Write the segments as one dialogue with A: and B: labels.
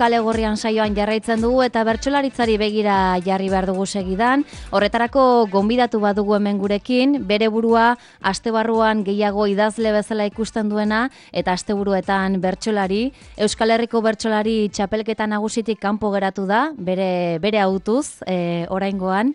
A: Kale Gorrian saioan jarraitzen dugu eta bertsolaritzari begira jarri behar dugu segidan. Horretarako gonbidatu badugu hemen gurekin, bere burua astebarruan gehiago idazle bezala ikusten duena eta asteburuetan bertsolari. Euskal Herriko bertsolari txapelketa nagusitik kanpo geratu da, bere autuz, oraingoan,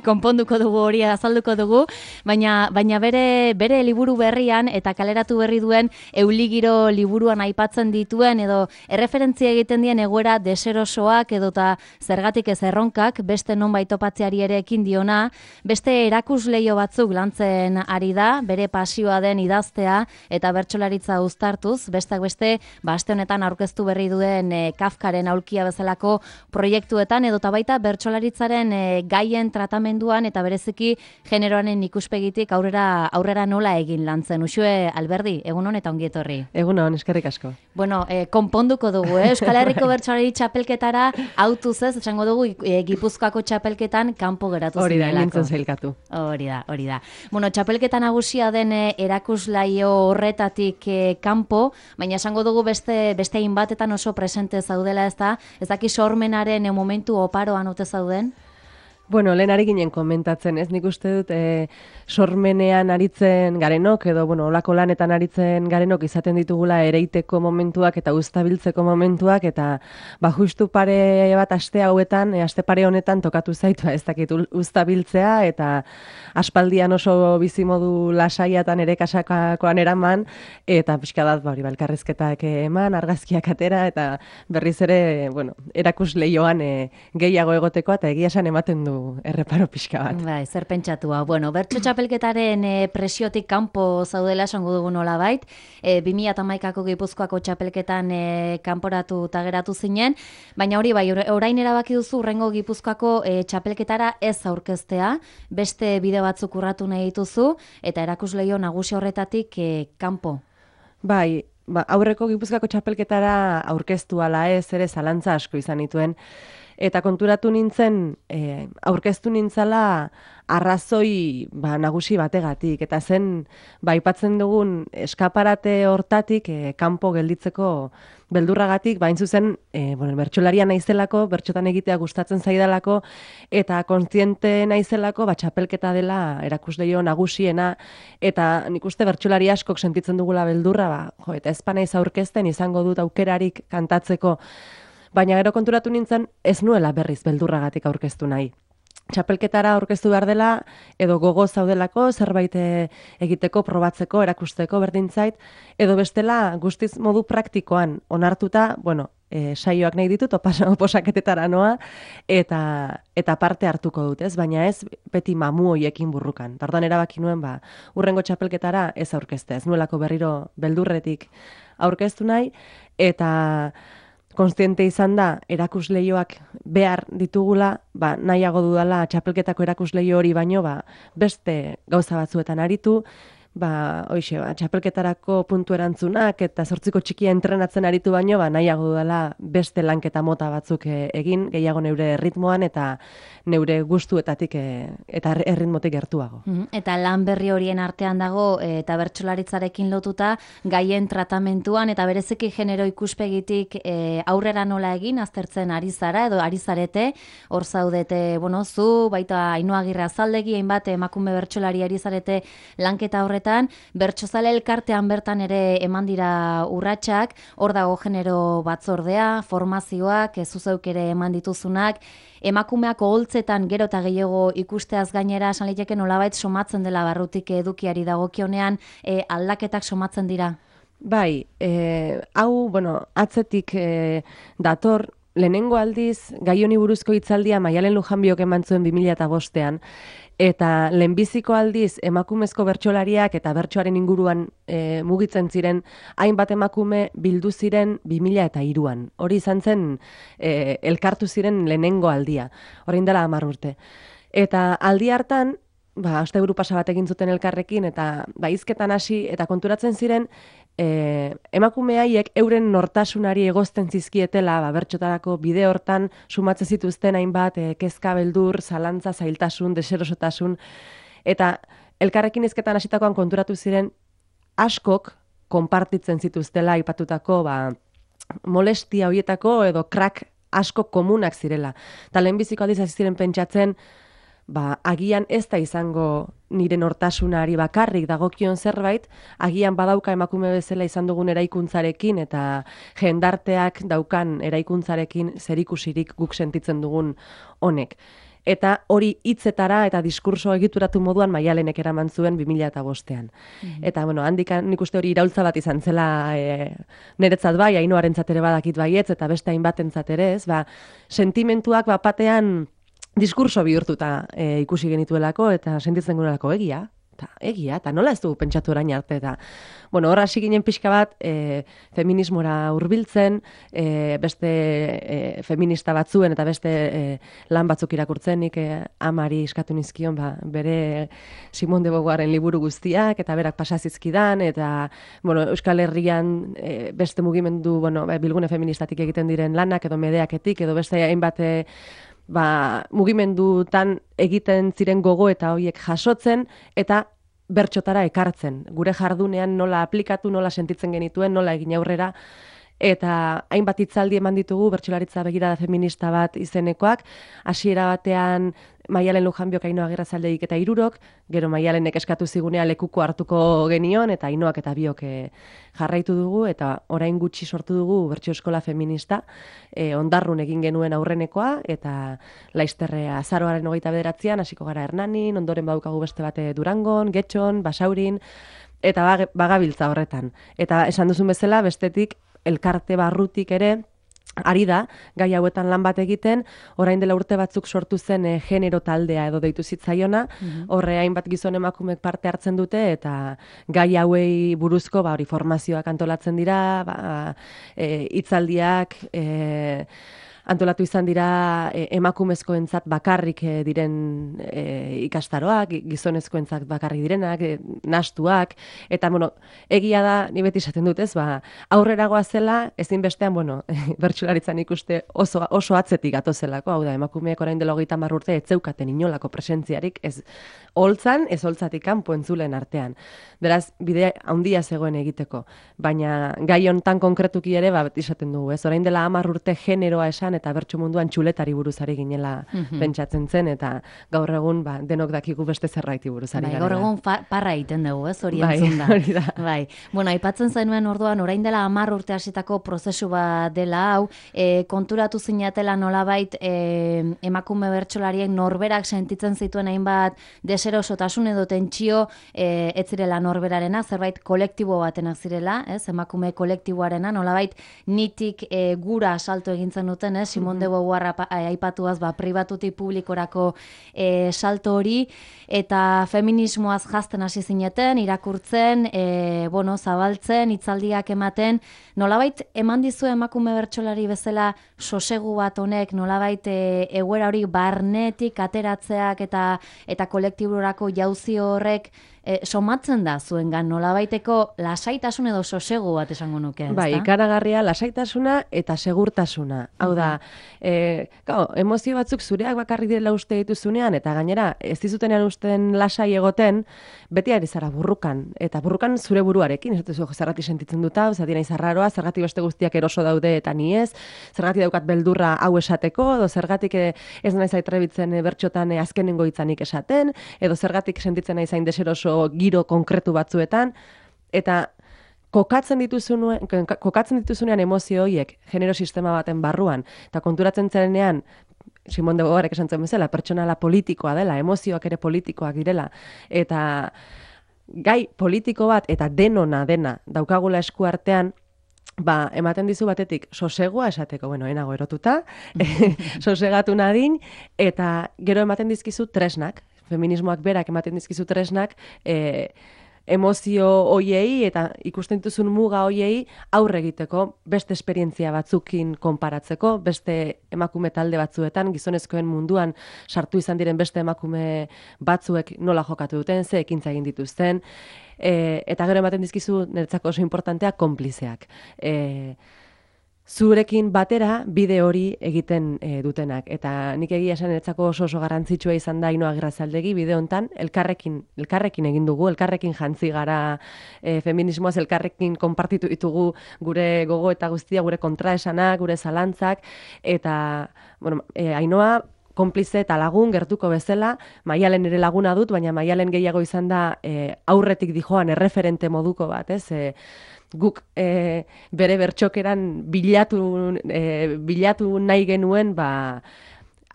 A: konponduko dugu hori azalduko dugu, baina bere liburu berrian eta kaleratu berri duen Euligiro liburuan aipatzen dituen edo erreferentzia egiten dien egoera deserosoak edota zergatik ez erronkak, beste nonbait topatzeari ere ekin diona, beste erakusleio batzuk lantzen ari da, bere pasioa den idaztea eta bertsolaritza uztartuz, besteak beste, aste honetan aurkeztu berri duen Kafkaren aulkia bezalako proiektuetan edota baita bertsolaritzaren gaien tratamenduan eta bereziki generoaren ikuspegitik aurrera nola egin lantzen. Uxue Alberdi, egunon eta ongi etorri.
B: Egunon, eskerrik asko.
A: Bueno, konponduko dugu, Euskal Herriko bertsolari txapelketara autuz ez, esango dugu Gipuzkoako txapelketan kanpo geratu zinelako.
B: Hori da, nintzen zailkatu.
A: Hori da. Bueno, txapelketa nagusia den erakuslaio horretatik kanpo, baina esango dugu beste hainbatetan oso presente zaudela ez daki sormenaren momentu oparoan ote zauden?
B: Bueno, lehen ari ginen komentatzen, ez nik uste dut sormenean aritzen garenok, edo olako lanetan aritzen garenok izaten ditugula ereiteko momentuak eta uztabiltzeko momentuak, eta justu pare bat aste hauetan, aste pare honetan tokatu zaitu, ez dakit uztabiltzea, eta aspaldian oso bizimodu lasaiatan ere kasakakoan eraman, eta pixka dat, elkarrizketak eman, argazkiak atera, eta berriz ere, erakusleioan gehiago egoteko, eta egia esan ematen du erreparo pixka bat.
A: Bai, zer pentsatua. Bertso txapelketaren presiotik kanpo zaudela esango dugu nolabait. 2011ko Gipuzkoako txapelketan kanporatu eta geratu zinen, baina hori bai, orain erabaki duzu urrengo Gipuzkoako txapelketara ez aurkeztea, beste bide batzuk urratu nahi dituzu, eta erakusleio nagusi horretatik kanpo.
B: Bai, aurreko Gipuzkoako txapelketara aurkeztu ala ez ere zalantza asko izan dituen, eta konturatu nintzen, aurkeztu nintzala arrazoi nagusi bategatik, eta zen, aipatzen dugun eskaparate hortatik kanpo gelditzeko beldurragatik, hain zuzen, bertsolaria naizelako, bertsotan egitea gustatzen zaidalako, eta kontziente naizelako, txapelketa dela erakusleio nagusiena, eta nik uste bertsolari askok sentitzen dugula beldurra, eta ezpa naiz aurkezten izango dut aukerarik kantatzeko, baina gero konturatu nintzen ez nuela berriz beldurragatik aurkeztu nahi. Txapelketara aurkeztu behar dela, edo gogo zaudelako, zerbait egiteko, probatzeko, erakusteko berdintzait, edo bestela guztiz modu praktikoan onartuta, saioak nahi ditut, oposaketetara noa, eta parte hartuko dut, ez? Baina ez beti mamu hoiekin burrukan. Tardan erabaki nuen, urrengo txapelketara ez aurkezte, ez nuelako berriro beldurretik aurkeztu nahi, eta kontziente izan da, erakusleioak behar ditugula, nahiago dudala txapelketako erakusleio hori baino, beste gauza batzuetan aritu, txapelketarako puntu erantzunak eta 8ko txikia entrenatzen aritu baino, nahiago dudala beste lanketa mota batzuk egin, gehiago neure ritmoan eta neure gustuetatik eta erritmotik gertuago.
A: Eta lan berri horien artean dago, eta bertsolaritzarekin lotuta, gaien tratamentuan, eta bereziki genero ikuspegitik aurrera nola egin, aztertzen ari zara, edo ari zarete, hor zaudete, zu, baita Ainhoa Agirre Azaldegi, hainbat emakume bertsolari ari zarete lanketa horretan, bertsozale elkartean bertan ere eman dira urratsak, hor dago genero batzordea, formazioak, zuzeuk ere eman dituzunak, emakumeak oholtzetan gero eta gehiago ikusteaz gainera, esan liteke nolabait somatzen dela barrutik edukiari dagokionean, aldaketak somatzen dira?
B: Bai, hau, atzetik dator, lehenengo aldiz, gai honi buruzko hitzaldia Maialen Lujanbiok eman zuen 2005ean, eta lehenbiziko aldiz emakumezko bertsolariak eta bertsoaren inguruan mugitzen ziren hainbat emakume bildu ziren 2003an. Hori izan zen elkartu ziren lehenengo aldia, orain dela 10 urte. Eta aldi hartan, asteburu pasa bat egin zuten elkarrekin, eta hizketan hasi eta konturatzen ziren emakume haiek euren nortasunari egozten zizkietela, bertsotarako bide hortan sumatzen zituzten hainbat kezka, beldur, zalantza, zailtasun, deserosotasun, eta elkarrekin hizketan hasitakoan konturatu ziren askok konpartitzen zituztela aipatutako molestia horietako edo krak asko komunak zirela. Eta lehenbiziko aldiz hasi ziren pentsatzen, agian ez da izango nire nortasunari bakarrik dagokion zerbait, agian badauka emakume bezala izan dugun eraikuntzarekin eta jendarteak daukan eraikuntzarekin zerikusirik guk sentitzen dugun honek. Eta hori hitzetara eta diskurso egituratu moduan Maialenek eraman zuen 2005ean. Eta, handik nik uste hori iraultza bat izan zela niretzat bai, Ainoarentzat ere badakit baietz, eta beste hainbatentzat ere ez, sentimentuak batean diskurso bihurtuta ikusi genituelako eta sentitzen gunelako egia, eta nola ez dugu pentsatu orain arte, eta hor hasi ginen pixka bat feminismora hurbiltzen, beste feminista batzuen eta beste lan batzuk irakurtzen, nik amari eskatu nizkion bere Simone de Beauvoirren liburu guztiak, eta berak pasazizkidan, eta Euskal Herrian beste mugimendu, bilgune feministatik egiten diren lanak, edo medeaketik, edo beste hainbat mugimendutan egiten ziren gogo eta horiek jasotzen eta bertxotara ekartzen. Gure jardunean nola aplikatu, nola sentitzen genituen, nola egin aurrera, eta hainbat hitzaldi eman ditugu bertsolaritza begirada feminista bat izenekoak, hasiera batean Maialen Lujanbiok, Ainhoa Agirrezaldegik eta Hirurok, gero Maialenek eskatu zigunea lekuko hartuko genion, eta Ainhoak eta biok jarraitu dugu, eta orain gutxi sortu dugu bertso eskola feminista, Ondarrun egin genuen aurrenekoa, eta Laizterre azaroaren 29an, hasiko gara Hernanin, ondoren badaukagu beste bate Durangon, Getxon, Basaurin, eta bagabiltza horretan. Eta esan duzun bezala, bestetik, elkarte barrutik ere, ari da, gai hauetan lan bat egiten, orain dela urte batzuk sortu zen genero taldea edo deitu zitzaiona, horre hainbat gizon emakumek parte hartzen dute, eta gai hauei buruzko hori formazioak antolatzen dira, hitzaldiak, antolatu izan dira emakumezkoentzat bakarrik diren ikastaroak, gizonezkoentzat bakarrik direnak, nastuak, eta egia da, ni beti esaten dut ez, aurrera goazela, ezinbestean, bertsolaritzan ikuste oso atzetik gatozelako, hau da, emakumeek orain dela 30 urte ez zeukaten inolako presentziarik, ez holtzan, ez holtzatik kanpo entzulen artean. Beraz, bide handia zegoen egiteko, baina gai hontan konkretuki ere, beti esaten dugu, ez, orain dela 10 urte generoa esan, eta bertso munduan txuletari buruzari ginela pentsatzen zen, eta gaur egun denok dakigu beste zerraiti buruzari garela.
A: Gaur egun parra egiten dugu, ez, hori entzun da.
B: Hori da.
A: Aipatzen zenuen orduan, orain dela 10 urte hasitako prozesu bat dela hau, konturatu zinatela nolabait emakume bertsolarien norberak sentitzen zituen hainbat deserosotasun edo tentsio ez zirela norberarena, zerbait kolektibo batenak zirela, ez, emakume kolektiboarena, nolabait nitik gura salto egintzen duten, Simone de Beauvoir aipatuaz pribatutik publikorako salto hori, eta feminismoaz jazten hasi zineten, irakurtzen, zabaltzen, hitzaldiak ematen, nolabait eman dizu emakume bertsolari bezala sosegu bat honek, nolabait egoera hori barnetik ateratzeak eta kolektiborako jauzi horrek somatzen da zuengan, nolabaiteko lasaitasun edo sosegu bat esango nuke, ezta?
B: Ikaragarria lasaitasuna eta segurtasuna. Hau da, emozio batzuk zureak bakarrik direla uste dituzunean, eta gainera, ez dizutenean usten lasai egoten, beti ari zara burrukan. Eta burrukan zure buruarekin, ez dut zergatik sentitzen dut hau, zergatik naiz arraroa, zergatik beste guztiak eroso daude eta ni ez, zergatik daukat beldurra hau esateko, edo zergatik ez naiz aitrebitzen bertxotan azkenengo hitzanik esaten, edo zergatik sentitzen naiz hain deseroso giro konkretu batzuetan, eta kokatzen dituzunean emozio horiek genero sistema baten barruan, eta konturatzen zenean, Simone de Beauvoirek esan zen bezala, pertsonala politikoa dela, emozioak ere politikoak direla, eta gai politiko bat eta dena daukagula esku artean, ematen dizu batetik sosegua esateko, enago erotuta, sosegatu nadin, eta gero ematen dizkizu tresnak, feminismoak berak ematen dizkizu tresnak, emozio hoiei eta ikusten dituzun muga hoiei aurre egiteko, beste esperientzia batzukin konparatzeko, beste emakume talde batzuetan, gizonezkoen munduan sartu izan diren beste emakume batzuek nola jokatu duten, ze ekintza egin dituzten, eta gero ematen dizkizu niretzako oso importantea konplizeak. zurekin batera bide hori egiten dutenak. Eta nik egia esan etzako oso garrantzitsua izan da Ainhoa Agirrezabaldegi bide hontan, elkarrekin egin dugu, elkarrekin jantzi gara feminismoaz, elkarrekin konpartitu ditugu gure gogo eta guztia, gure kontraesanak, gure zalantzak, eta bueno, Ainhoa konplize eta lagun gertuko bezala, Maialen ere laguna dut, baina Maialen gehiago izan da aurretik dijoan erreferente moduko bat, ez? Guk bere bertxokeran bilatu nahi genuen,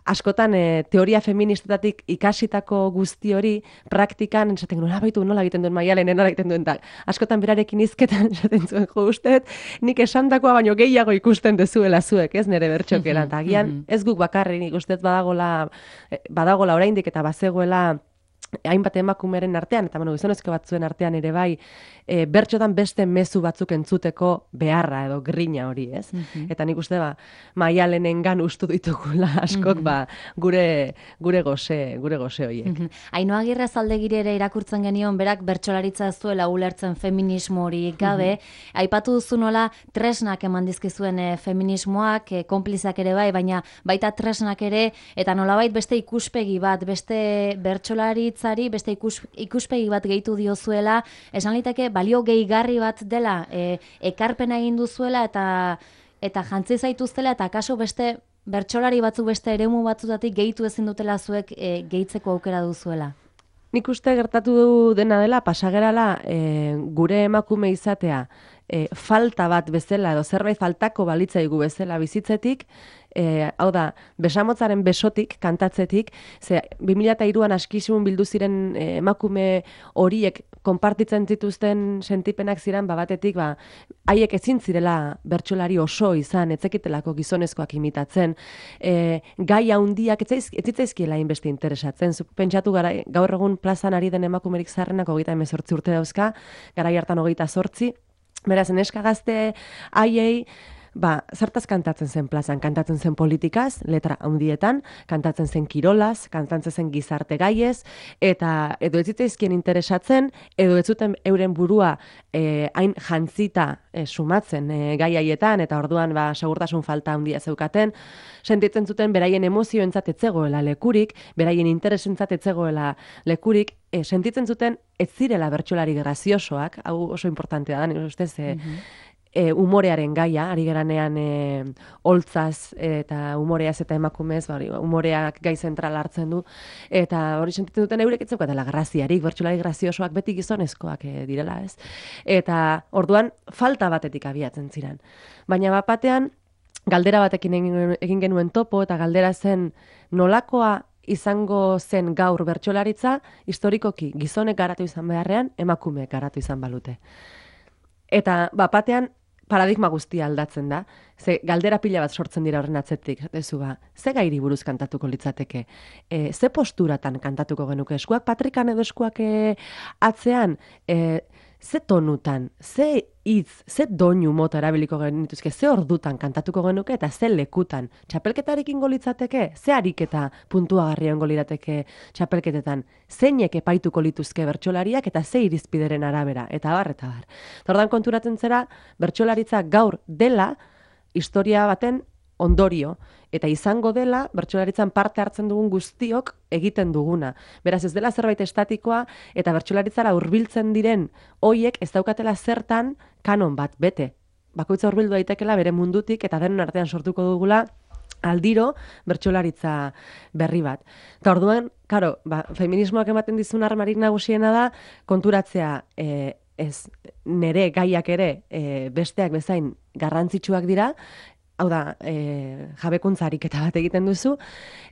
B: askotan teoria feministetatik ikasitako guzti hori praktikan esaten genuen, baitu nola egiten duen Maialen, nola egiten duen, askotan berarekin hizketan esaten zuen jo usteet, nik esandakoa baino gehiago ikusten dezuela zuek, ez nire bertxokeran, eta agian ez guk bakarrik nik usteet badagola oraindik eta bazegoela hainbat emakumeren artean, eta gizonezko batzuen artean ere bai, bertxotan beste mezu batzuk entzuteko beharra edo grina hori, ez? Eta nik uste, Maialenengan ustu ditugula askok, gure gose horiek.
A: Ainhoa Agirrezabaldegi ere irakurtzen genion, berak bertsolaritza ez duela ulertzen feminismo hori gabe, aipatu duzu nola tresnak eman dizkizuen feminismoak, konplizak ere bai, baina baita tresnak ere, eta nolabait beste ikuspegi bat, beste bertsolaritzari, beste ikuspegi bat gehitu diozuela, esan liteke balio gehigarri bat dela, ekarpena egin duzuela eta jantzi zaituztela, eta akaso beste bertsolari batzuk beste eremu batzutatik gehitu ezin dutela zuek gehitzeko aukera duzuela.
B: Nik uste gertatu dena dela, pasagerala gure emakume izatea falta bat bezala edo zerbait faltako balitzaigu bezala bizitzetik, hau da, besamotzaren besotik, kantatzetik, ze 2003an askisun bildu ziren emakume horiek konpartitzen zituzten sentipenak ziren, batetik, haiek ezin zirela bertsolari oso izan, etzekitelako gizonezkoak imitatzen, gai handiak etzitzaizkiela inbeste interesatzen. Pentsatu gara, gaur egun plazan ari den emakumerik zaharrenak 38 urte dauzka, garai hartan 28, beraz, neska gazte haiei, zertaz kantatzen zen plazan, kantatzen zen politikaz, letra handietan, kantatzen zen kirolaz, kantatzen zen gizarte gaiez, eta edo ez zitzaizkien interesatzen, edo ez zuten euren burua hain jantzita sumatzen gai haietan, eta orduan segurtasun falta handia zeukaten, sentitzen zuten beraien emozioentzat ez zegoela lekurik, beraien interesentzat ez zegoela lekurik, sentitzen zuten ez zirela bertsolari graziosoak, hau oso importantea da, nire ustez, umorearen gaia, ari geranean holtzaz eta umoreaz eta emakumez, umoreak gai zentral hartzen du, eta hori sentitzen duten eurek ez zeukatela graziarik, bertsolari graziosoak beti gizonezkoak direla, ez? Eta orduan falta batetik abiatzen ziren. Baina batean, galdera batekin egin genuen topo, eta galdera zen nolakoa izango zen gaur bertsolaritza, historikoki gizonek garatu izan beharrean, emakumeek garatu izan balute. Eta batean, paradigma guztia aldatzen da. Ze galdera pila bat sortzen dira horren atzetik. Ze gairi buruz kantatuko litzateke? Ze posturatan kantatuko genuke? Eskuak patrikan edo eskuak atzean? Ze tonutan? Ze hitz? Ze doinu mota erabiliko genituzke? Ze ordutan kantatuko genuke eta ze lekutan? Txapelketarekin litzateke? Ze ariketa puntuagarrian lirateke txapelketetan? Zeinek epaituko lituzke bertsolariak eta ze irizpideren arabera? Eta bar, eta bar. Ordan konturatzen zera, bertsolaritza gaur dela historia baten ondorio, eta izango dela bertsolaritzan parte hartzen dugun guztiok egiten duguna. Beraz, ez dela zerbait estatikoa, eta bertsolaritzara hurbiltzen diren hoiek ez daukatela zertan kanon bat bete. Bakoitza hurbildu daitekela bere mundutik, eta denon artean sortuko dugula aldiro bertsolaritza berri bat. Eta orduan, feminismoak ematen dizun armarik nagusiena da, konturatzea ez nere gaiak ere besteak bezain garrantzitsuak dira, hau da, jabekuntza ariketa bat egiten duzu,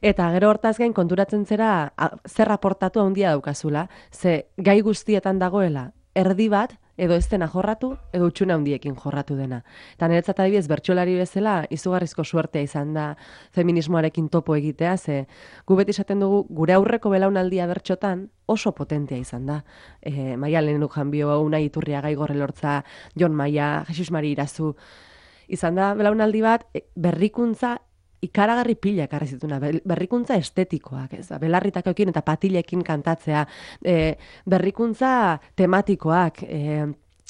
B: eta gero hortaz gain konturatzen zera zer aportatu handia daukazula, ze gai guztietan dagoela erdi bat, edo ez dena jorratu, edo utxune handiekin jorratu dena. Eta niretzat adibidez, bertsolari bezala, izugarrizko suertea izan da feminismoarekin topo egitea, ze gu beti esaten dugu, gure aurreko belaunaldia bertxotan oso potentea izan da. Maialen Lujanbio, Unai Iturriaga, Igor Elortza, Jon Maia, Jesus Mari Irazu, izan da belaunaldi bat, berrikuntza ikaragarri pila ekarri zituna, berrikuntza estetikoak, belarritakoekin eta patilekin kantatzea, berrikuntza tematikoak,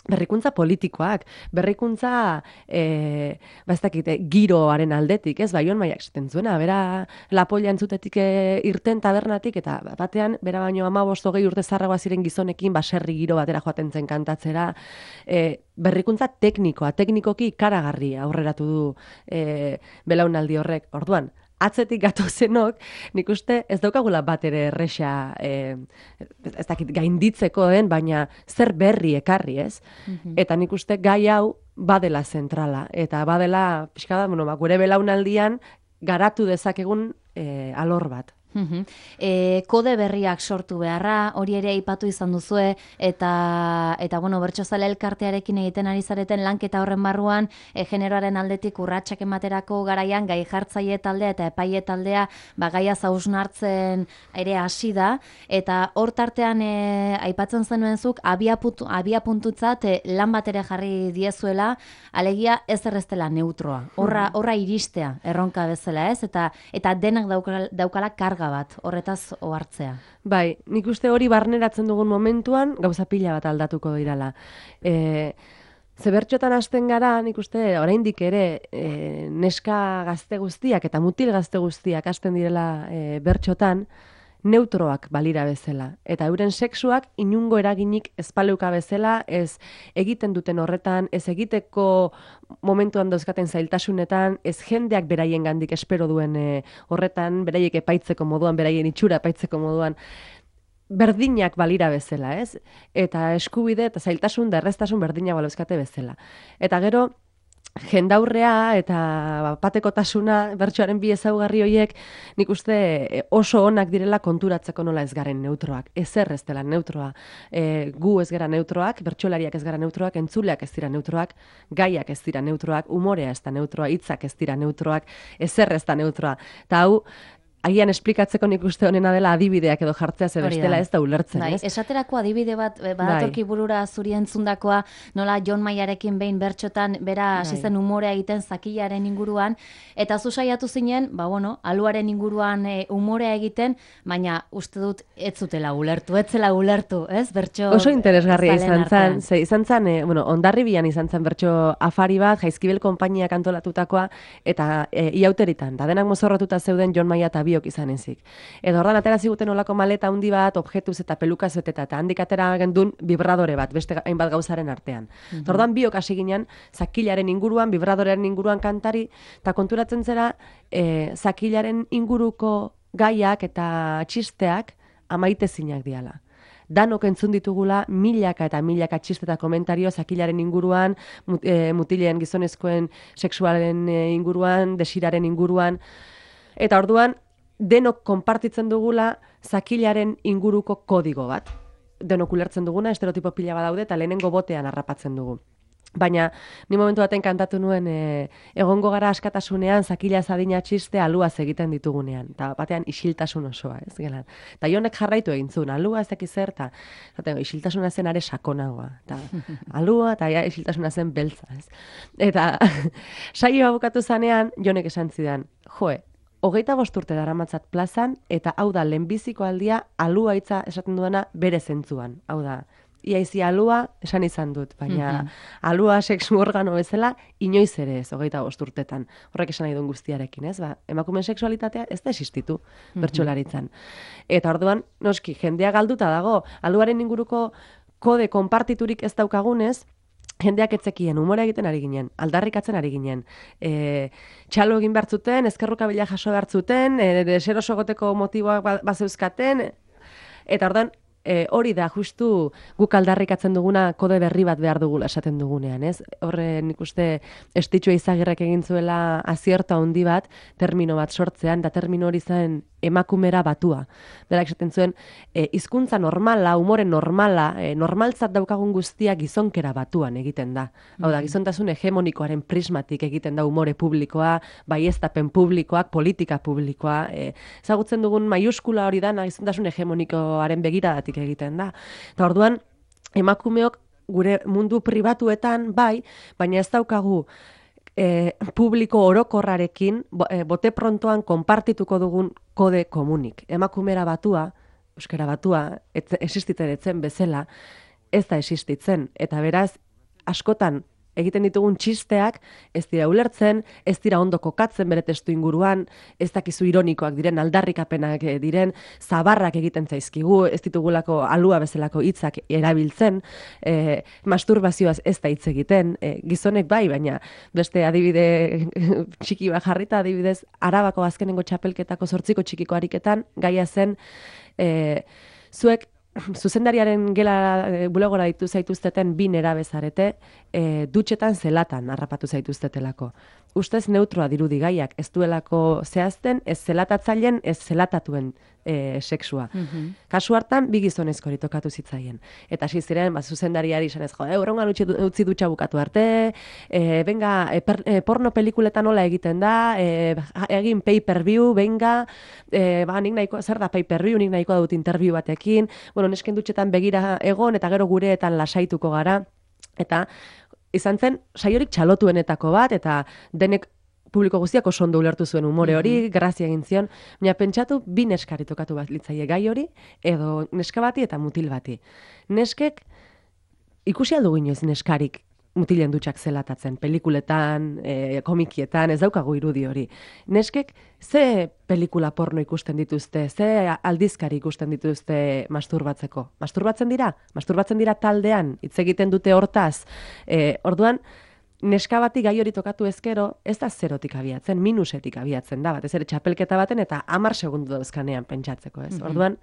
B: berrikuntza politikoak, berrikuntza ez dakit, giroaren aldetik, ez, Baion Maiak esaten zuena, bera lapolla entzutetik irten tabernatik, eta batean, bera baino 15-20 urte zarragoa ziren gizonekin, baserri giro batera joaten zen kantatzera, berrikuntza teknikoki ikaragarri aurreratu du belaunaldi horrek, orduan, atzetik gatozenok, nik uste ez daukagula bat ere erresa ez dakit gainditzeko baina zer berri ekarri, ez? Eta nik uste gai hau badela zentrala, eta badela, pixka da, gure belaunaldian garatu dezakegun alor bat.
A: Kode berriak sortu beharra, hori ere aipatu izan duzue, eta bueno, Bertsozale elkartearekin egiten ari zareten lanketa horren barruan, generoaren aldetik urratsak ematerako garaian gai jartzaile taldea eta epaile taldea gaia hausnartzen ere hasi da, eta hor tartean aipatzen zenuen zuk abiapuntutzat lan bat ere jarri diezuela, alegia ez erreztela neutroa, horra iristea erronka bezala, ez? Eta denak daukala karga bat, horretaz ohartzea.
B: Bai, nik uste hori barneratzen dugun momentuan gauza pila bat aldatuko dirala. Ze bertxotan hasten gara, nik uste oraindik ere neska gazte guztiak eta mutil gazte guztiak hasten direla bertxotan, neutroak balira bezala. Eta euren sexuak inungo eraginik espaleuka bezala, ez egiten duten horretan, ez egiteko momentuan dauzkaten zailtasunetan, ez jendeak beraien gandik espero duen horretan, beraiek epaitzeko moduan, beraien itxura epaitzeko moduan, berdinak balira bezala, ez? Eta eskubide eta zailtasun da erreztasun berdinak balauzkate bezala. Eta gero, jendaurrea eta patekotasuna, bertsoaren bi ezaugarri horiek, nik uste oso onak direla konturatzeko nola ez garen neutroak. Ezer ez dela neutroa. Gu ez gara neutroak, bertsolariak ez gara neutroak, entzuleak ez dira neutroak, gaiak ez dira neutroak, umorea ez da neutroa, hitzak ez dira neutroak, ezer ez da neutroa. Eta hau, agian esplikatzeko nik uste honena dela adibideak edo jartzea ze bestela ez da ulertzen, ez?
A: Esaterako adibide bat badatorki burura zuri entzundakoa, nola Jon Maiarekin behin bertxotan bera hasi zen umorea egiten zakilaren inguruan, eta zu saiatu zinen, aluaren inguruan umorea egiten, baina uste dut ez zutela ulertu, ez zela ulertu, ez? Bertxo
B: oso interesgarria izan zen, Hondarribian izan zen bertxo afari bat, Jaizkibel konpainiak antolatutakoa, eta iauteritan, da denak mozorrotuta zeuden Jon Maia eta biok izan ezik. Edo ordan atera ziguten olako maleta handi bat, objetuz eta pelukaz beteta, eta handik atera gendun vibradore bat, beste hainbat gauzaren artean. Ordan biok hasi ginen, zakilaren inguruan, vibradorearen inguruan kantari, eta konturatzen zera, zakilaren inguruko gaiak eta txisteak amaitezinak diala. Danok entzun ditugula milaka eta milaka txiste eta komentario zakilaren inguruan, mutileen gizonezkoen sexualen inguruan, desiraren inguruan, eta orduan, denok konpartitzen dugula zakilaren inguruko kodigo bat. Denok ulertzen duguna, estereotipo pila badaude eta lehenengo botean harrapatzen dugu. Baina, ni momentu baten kantatu nuen egongo gara askatasunean zakila zadina txiste aluaz egiten ditugunean. Eta batean isiltasun osoa, ez gelan. Eta jonek jarraitu egin zuen, alua ez dakiz zer, eta isiltasuna zen are sakonagoa. Eta alua eta isiltasuna zen beltza, ez. Eta saioa bukatu zanean, jonek esan zidan, 25 urte daramatzat plazan, eta hau da lehenbiziko aldia alua hitza esaten duena bere zentzuan. Hau da, iaizi alua esan izan dut, baina alua sexu organo bezala inoiz ere ez, 25 urtetan. Horrek esan nahi duen guztiarekin, ez? Emakumeen sexualitatea ez da existitu bertsolaritzan. Eta orduan, noski, jendea galduta dago, aluaren inguruko kode konpartiturik ez daukagunez, jendeak etzekien, umora egiten ari ginen, aldarrikatzen ari ginen, txalo egin behartzuten, ezkerrukabila jaso behartzuten, deseroso goteko motiboak bazeuzkaten, eta ordan hori da justu guk aldarrikatzen duguna kode berri bat behar dugula esaten dugunean, ez? Horre nik uste Estitxue Izagirrek egin zuela azierto handi bat, termino bat sortzean, da termino hori zen emakumera batua. Berak esaten zuen, hizkuntza normala, umore normala, normaltzat daukagun guztia gizonkera batuan egiten da. Hau da, gizontasun hegemonikoaren prismatik egiten da umore publikoa, baieztapen publikoak, politika publikoa. Ezagutzen dugun maiuskula hori da, gizontasun hegemonikoaren begiradatik egiten da. Eta orduan, emakumeok gure mundu pribatuetan bai, baina ez daukagu publiko orokorrarekin bote prontoan konpartituko dugun kode komunik. Emakumera batua, euskara batua, existitzen etzen bezala, ez da existitzen. Eta beraz, askotan egiten ditugun txisteak ez dira ulertzen, ez dira ondo kokatzen bere testu inguruan, ez dakizu ironikoak diren, aldarrikapenak diren, zabarrak egiten zaizkigu, ez ditugulako alua bezalako hitzak erabiltzen, masturbazioaz ez da hitz egiten, gizonek bai, baina beste adibide txiki bat jarrita, adibidez, Arabako azkenengo txapelketako 8 txikiko ariketan, gaia zen, zuek zuzendariaren gela bulegora ditu zaituzteten 2 nerabe zarete, dutxetan zelatan harrapatu zaituztetelako. Ustez neutroa dirudi gaiak, ez duelako zehazten, ez zelatatzaileen, ez zelatatuen sexua. Kasu hartan, 2 gizonezkori tokatu zitzaien. Eta hasi ziren, zuzendariari izan ez, horrengan utzi dutxa bukatu arte, venga, porno pelikuletan nola egiten da, egin pay-per-view, venga, nik nahiko, zer da pay-per-view, nik nahiko dut interview batekin, bueno, nesken dutxetan begira egon, eta gero gureetan lasaituko gara, eta izan zen, saiorik txalotuenetako bat, eta denek publiko guztiak oso ondo ulertu zuen umore hori, grazia egin zion, baina pentsatu 2 neskari tokatu bat litzaie gai hori, edo neska bati eta mutil bati. Neskek, ikusi aldugu inoiz neskarik mutilen dutxak zelatatzen, pelikuletan, komikietan, ez daukagu irudi hori. Neskek, ze pelikula porno ikusten dituzte, ze aldizkari ikusten dituzte masturbatzeko? Masturbatzen dira? Masturbatzen dira taldean, hitz egiten dute hortaz. Orduan, neska bati gai hori tokatu ezkero, ez da 0tik abiatzen, minusetik abiatzen da, batez ere txapelketa baten eta 10 segundu dauzkanean pentsatzeko, ez? Orduan,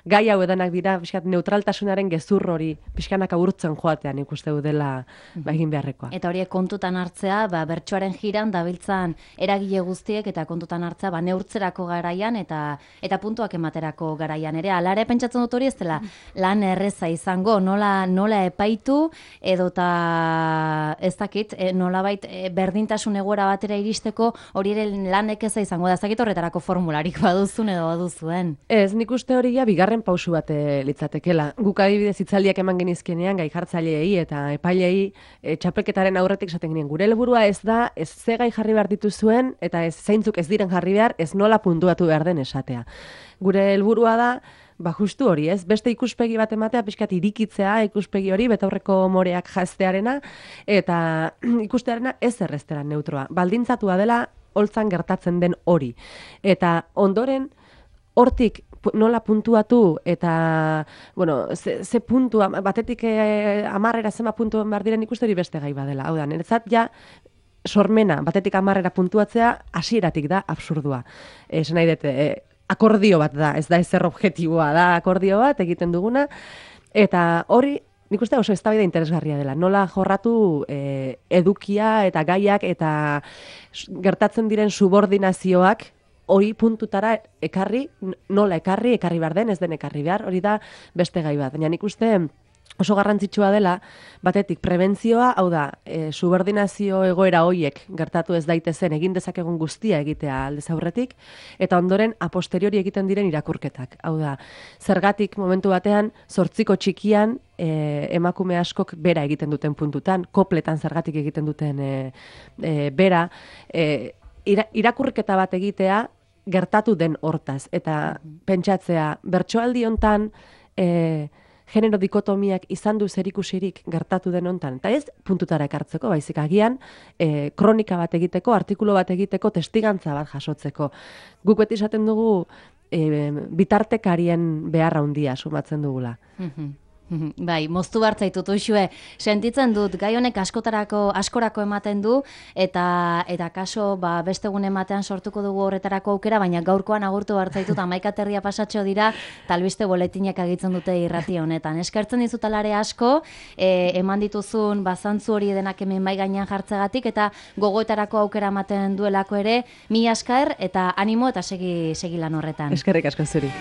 B: gai hau edanak dira, pixkat, neutraltasunaren gezur hori, pixkanaka urtzen joatean ikuste dela egin beharrekoa.
A: Eta horiek kontutan hartzea, bertsoaren jiran dabiltzan eragile guztiek eta kontutan hartzea, neurtzerako garaian eta puntuak ematerako garaian ere. Hala ere pentsatzen dut hori ez dela lan erreza izango, nola epaitu edota ez dakit, nolabait berdintasun egoera batera iristeko hori ere lanek eza izango da, ez dakit horretarako formularik baduzun edo baduzuen.
B: Ez, nik uste hori ja bigarren pausu bat litzatekela. Guk adibidez hitzaldiak eman genizkenean gai jartzaileei eta epailei txapelketaren aurretik esaten genien gure helburua ez da, ez ze gai jarri behar dituzuen eta ez zeintzuk ez diren jarri behar, ez nola puntuatu behar den esatea. Gure helburua da, justu hori, ez? Beste ikuspegi bat ematea, pixkat irikitzea ikuspegi hori, betaurreko moreak jaztearena, eta ikustearena ez erreztera neutroa. Baldintzatua dela, holtzan gertatzen den hori. Eta ondoren, hortik nola puntuatu, eta, bueno, ze puntua, batetik 10 zema puntuan behar diren ikuste hori beste gai badela. Hau da, niretzat ja, sormena, batetik 10 puntuatzea, hasieratik da absurdua. Esan nahi dut, akordio bat da, ez da ezer objektiboa da, akordio bat egiten duguna, eta hori, nik uste oso eztabaida interesgarria dela, nola jorratu edukia eta gaiak eta gertatzen diren subordinazioak hori puntutara ekarri, nola ekarri behar den, ez den ekarri behar, hori da beste gai bat. Baina nik uste oso garrantzitsua dela, batetik prebentzioa, hau da, subordinazio egoera hoiek gertatu ez daitezen egin dezakegun guztia egitea aldez aurretik, eta ondoren a posteriori egiten diren irakurketak. Hau da, zergatik momentu batean, 8 txikian emakume askok bera egiten duten puntutan, kopletan zergatik egiten duten bera, irakurketa bat egitea gertatu den hortaz, eta pentsatzea, bertsoaldi hontan, genero dikotomiak izan du zerikusirik gertatu den hontan, eta ez puntutara ekartzeko, baizik agian kronika bat egiteko, artikulu bat egiteko, testigantza bat jasotzeko. Guk beti esaten dugu bitartekarien beharra handia sumatzen dugula.
A: Bai, moztu bartzaitut uxue, sentitzen dut, gai honek askorako ematen du, eta kaso beste egun ematean sortuko dugu horretarako aukera, baina gaurkoan agurtu bartzaitut, 11 aterria pasatxo dira, talbiste boletinak agitzen dute irrati honetan. Eskertzen dizut alare asko, eman dituzun bazantzu hori denak hemen bai gainean jartzegatik, eta gogoetarako aukera ematen duelako ere, mila esker, eta animo eta segi lan horretan.
B: Eskerrik asko zuri.